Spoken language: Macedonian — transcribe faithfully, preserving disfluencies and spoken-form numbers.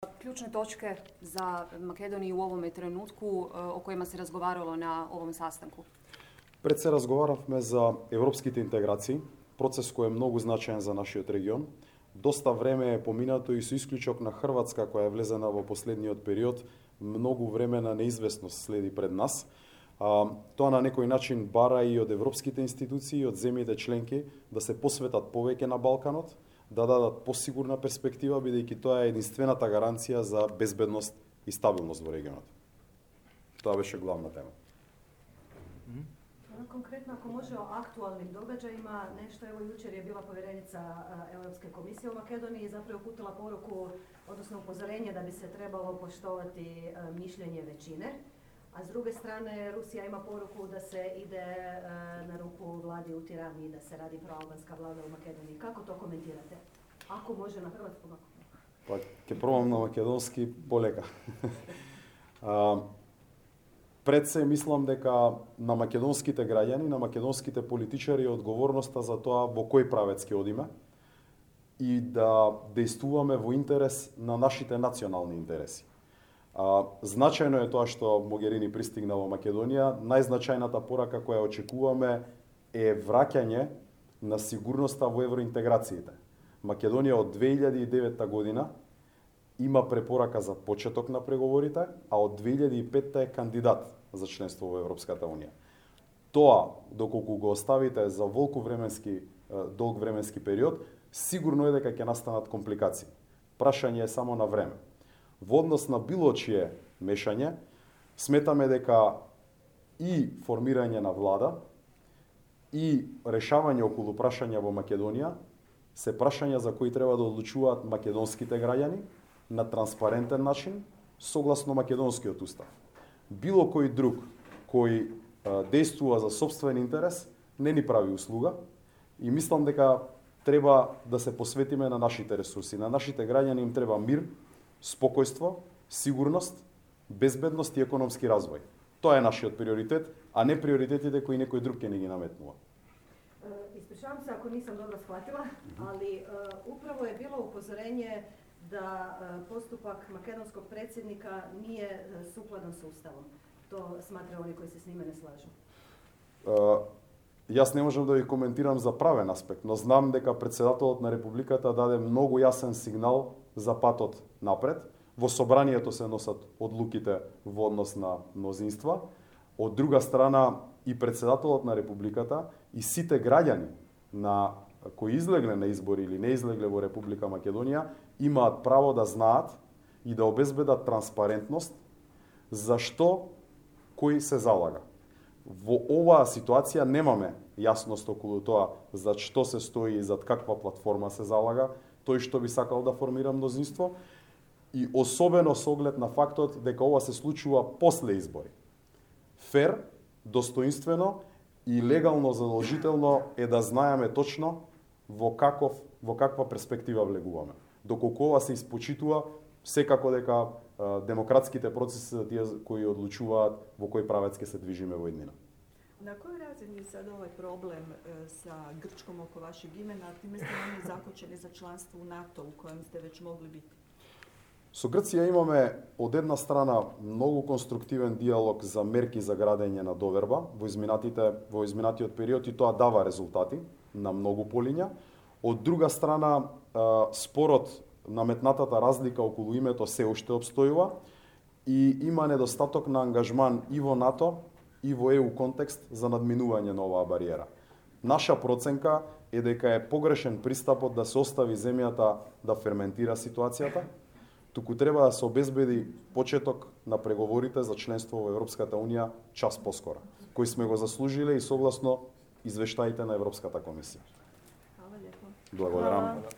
Ključne točke za Makedoniju u ovome trenutku o kojima se razgovaralo na ovom sastanku? Пред се разговаравме за европските интеграции, процес кој е многу значаен за нашиот регион. Доста време е поминато и со исклучок на Хрватска, која е влезена во последниот период, многу време на неизвестност следи пред нас. А, тоа на некој начин бара и од европските институции, и од земјите членки да се посветат повеќе на Балканот, да дадат посигурна перспектива, бидејќи тоа е единствената гаранција за безбедност и стабилност во регионот. Тоа беше главна тема. Konkretno, ako može o aktualnim događajima, nešto, evo jučer je bila povjerenica Europske komisije u Makedoniji i zapravo uputila poruku, odnosno upozorenje da bi se trebalo poštovati mišljenje većine, a s druge strane Rusija ima poruku da se ide na ruku vladi u Tirani i da se radi proalbanska vlada u Makedoniji. Kako to komentirate? Ako može na hrvatskom? Pa, ќе пробам на македонски полека. Пред се мислам дека на македонските граѓани, на македонските политичари е одговорноста за тоа во кој правец ќе одиме и да действуваме во интерес на нашите национални интереси. А, значајно е тоа што Могерини пристигна во Македонија. Најзначајната порака која очекуваме е враќање на сигурноста во евроинтеграциите. Македонија од две илјади и девета година има препорака за почеток на преговорите, а од две илјади и петта е кандидат за членство во Европската Унија. Тоа, доколку го оставите за волку временски, долг временски период, сигурно е дека ќе настанат компликации. Прашање е само на време. Во однос на било чие мешање, сметаме дека и формирање на влада, и решавање околу прашања во Македонија се прашања за кои треба да одлучуваат македонските граѓани на транспарентен начин, согласно македонскиот устав. Било кој друг кој а, действува за собствен интерес не ни прави услуга и мислам дека треба да се посветиме на нашите ресурси. На нашите граѓани им треба мир, спокојство, сигурност, безбедност и економски развој. Тоа е нашиот приоритет, а не приоритетите кои некој друг ќе ни ги наметнува. Ispričavam se ako nisam dobro shvatila, ali uh, upravo je bilo upozorenje da uh, postupak makedonskog predsjednika nije uh, sukladan s Ustavom. To smatraju oni koji se s njime ne slažu. Uh, јас не можам да ви коментирам за правен аспект, но знам дека председателот на Републиката даде многу јасен сигнал за патот напред. Во собранието се носат одлуките во однос на мнозинства. Од друга страна, и председателот на Републиката и сите граѓани на кои излегле на избори или не излегле во Република Македонија имаат право да знаат и да обезбедат транспарентност за што кој се залага. Во оваа ситуација немаме јасност околу тоа за што се стои и зад каква платформа се залага тој што би сакал да формира мнозинство и особено со оглед на фактот дека ова се случува после избори. Фер, достоинствено и легално задолжително е да знаеме точно во каков во каква перспектива влегуваме. Доколку ова се испочитува, секако дека а, демократските процеси се тие кои одлучуваат во кој правец ќе се движиме во иднина. Na kojoj razini je sad ovaj problem e, sa Grčkom oko vašeg imena, a time ste oni zakočeni za članstvo u NATO u kojem ste već mogli biti? Со Грција имаме од една страна многу конструктивен диалог за мерки за градење на доверба во изминатите во изминатиот период и тоа дава резултати на многу полиња. Од друга страна, спорот, наметнатата разлика околу името се уште обстојува и има недостаток на ангажман и во НАТО и во Е У контекст за надминување на оваа бариера. Наша проценка е дека е погрешен пристапот да се остави земјата да ферментира ситуацијата, туку треба да се обезбеди почеток на преговорите за членство во Европската Унија час поскоро, кој сме го заслужиле и согласно извештаите на Европската комисија. Hvala lijepo. Благодарам.